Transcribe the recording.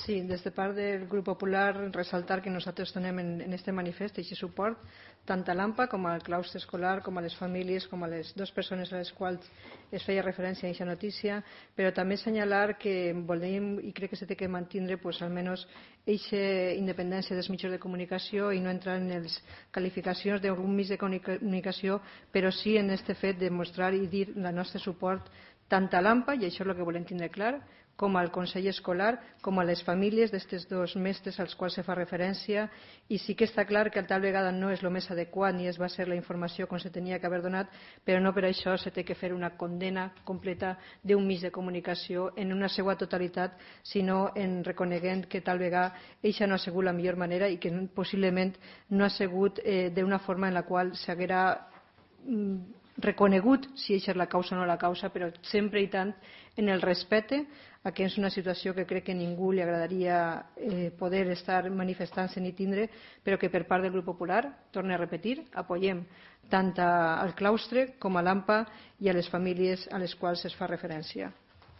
Sí, des de part del Grup Popular ressaltar que nosaltres donem en este manifest aquest suport tant a l'AMPA com al claustre escolar, com a les famílies, com a les dues persones a les quals es feia referència a aquesta notícia, però també assenyalar que volem, i crec que s'ha de mantenir almenys aquesta independència dels mitjans de comunicació i no entrar en les qualificacions d'algun mitjà de comunicació, però sí en aquest fet de mostrar i dir el nostre suport tant a l'AMPA, i això és el que volem tindre clar, com al Consell Escolar, com a les famílies d'aquests dos mestres als quals se fa referència, i sí que està clar que tal vegada no és el més adequat ni es va ser la informació com se tenia que haver donat, però no per això se té que fer una condena completa d'un mitjà de comunicació en una seva totalitat, sinó en reconeguent que tal vegada eixa no ha sigut la millor manera i que possiblement no ha sigut d'una forma en la qual s'haguera reconegut si eixa és la causa o no la causa, però sempre i tant en el respecte a que és una situació que crec que a ningú li agradaria poder estar manifestant-se ni tindre, però que per part del Grup Popular, torno a repetir, apoyem tant al claustre com a l'AMPA i a les famílies a les quals es fa referència.